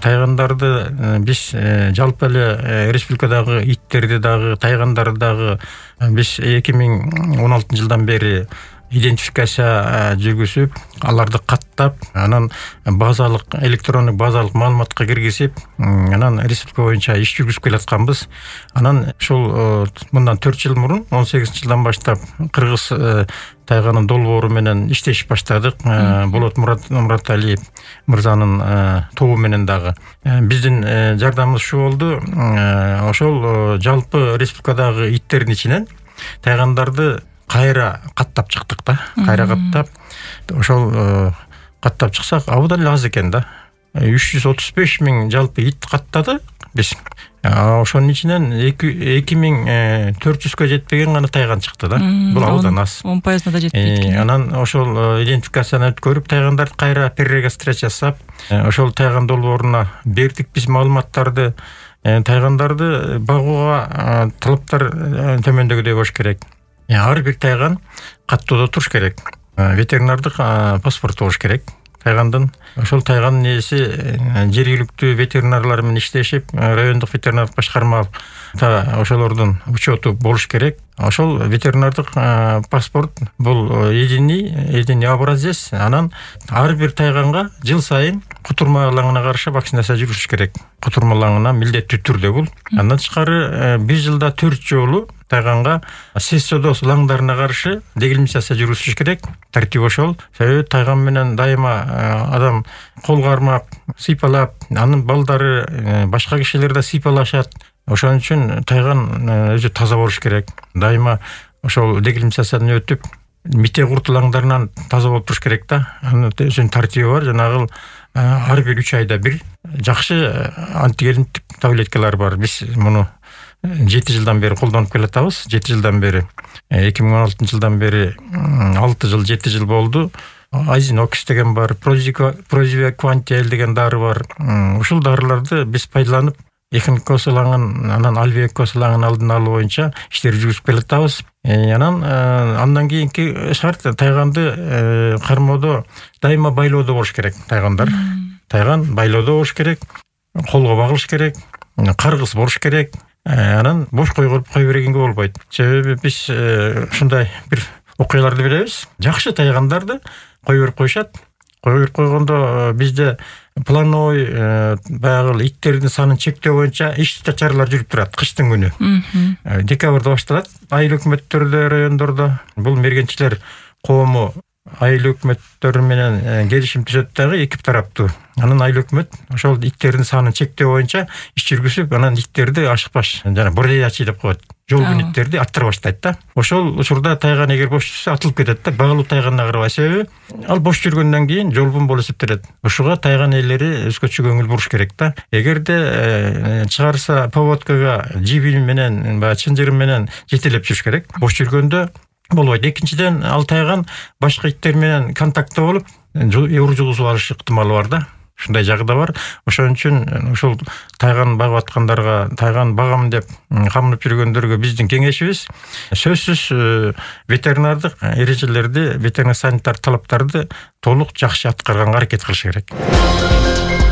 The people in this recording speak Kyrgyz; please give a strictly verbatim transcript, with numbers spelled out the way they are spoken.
тайгандарды биз жалпы эле республикадагы иттерди дагы, тайгандарды дагы биз эки миң он алтынчы жылдан бери идентификация жүргүзүп, аларды каттап, анан базалык электрондук базалык маалыматка киргизип, анан республика боюнча иш жүргүзүп келатканбыз. Анан ушул мындан төрт жыл мурун, он сегизинчи жылдан баштап кыргыз тайганын долбоору менен иштешип баштадык. Болот Мураталиев мырзанын тобу менен дагы. Биздин жардамыбыз ушу болду. Ошол жалпы республикадагы иттердин ичинен тайгандарды кайра каттап чыктык да. Кайра каттап, ошол каттап чыксак, абдан эле аз экен да. үч жүз отуз беш миң жалпы ит каттады биз. Ошонун ичинен эки миң төрт жүзгө жетпеген гана тайган чыкты да. Бул абдан аз. он пайызына да жетпейт экен. Анан ошол идентификацияны өткөрүп, тайгандарды кайра перерегистрация жасап, ошол тайган долбооруна бердик биз маалыматтарды. Тайгандарды багууга талаптар төмөндөгүдөй болуш керек. Ар бир тайган каттоодо туруш керек. Ветеринардык паспорту болуш керек тайгандын. Ошол тайгандын ээси жергиликтүү ветеринарлар менен иштешип, райондук ветеринардык башкарма ошолордун учету болуш керек. Ошол ветеринардык паспорт бул единый, единый образец. Анан ар бир тайганга жыл сайын кутурмалаңына каршы вакцинация жүргүзүш керек. Кутурмалаңына милдеттүү түрдө бул. Андан тышкары бир жылда төрт жолу тайганга сессодос лаңдарына каршы дегилимизация жүргүзүш керек. Тартип ошол. Себеби тайган менен дайыма адам кол кармап, сыйпалап, анын балдары башка кишилер да сыйпалашат. Ошон үчүн тайган өзү таза болуш керек. Дайыма ошол дегилимизациядан өтүп, мите куртулаңдарынан таза болуп туруш керек да. Анын өзүнүн тартиби бар. Жанагыл ар бир үч айда бир жакшы антигендик таблеткалар бар. Биз муну жети жылдан бери колдонуп келатабыз. жети жылдан бери. эки миң он алтынчы жылдан бери алты жыл, жети жыл болду. Азинокс деген бар, Прозивеквантиэл деген дары бар. Ушул дарыларды биз пайдаланып, эхинококкус ылаңын, анан альвеококкус ылаңын алдын алуу боюнча иштер жүргүзүп келатабыз. Анан андан кийинки шарт тайганды кармоодо дайыма байлоодо болуш керек тайгандар. Тайган байлоодо болуш керек, колго багылыш керек, каргыс болуш керек. Анан бош койгоруп кой бергенге болбойт. Себеби биз ушундай бир окуяларды билебиз. Жакшы тайгандарды кой берип коюшат. Кой берип койгондо бизде плановой баягы иттердин санын чектөө боюнча иш чаралар жүрүп турат кыштын күнү. Декабрда башталат. Айыл өкмөттөрдө, райондордо бул мергенчилер коому айыл өкмөттөрү менен келишим түзөт дагы эки тараптуу. Анан айыл өкмөт ошол иттердин санын чектөө боюнча иш жүргүзүп, анан иттерди ашыкпаш, жана бордеячий деп коет. Жолбун иттерди аттыра баштайт да. Ошол учурда тайган эгер бош жүрсө атылып кетет да, багылуу тайганына карабай. Себеби ал бош жүргөндөн кийин жолбун болуп эсептелет. Ошуга тайган ээлери өзгөчө көңүл буруш керек да. Эгерде чыгарса поводкага жиби менен, баягы чынжыры менен жетелеп жүрүш керек. Бош жүргөндө болбойт. Экинчиден, ал тайган башка иттер менен контактта болуп, оор жугузуп алыш ыктымалы бар да. Ушундай жагы да бар. Ошон үчүн ушул тайган багып аткандарга, тайган багам деп камынып жүргөндөргө биздин кеңешибиз сөзсүз ветеринардык эрежелерди, ветеринар санитар талаптарды толук жакшы аткарганга аракет кылыш керек.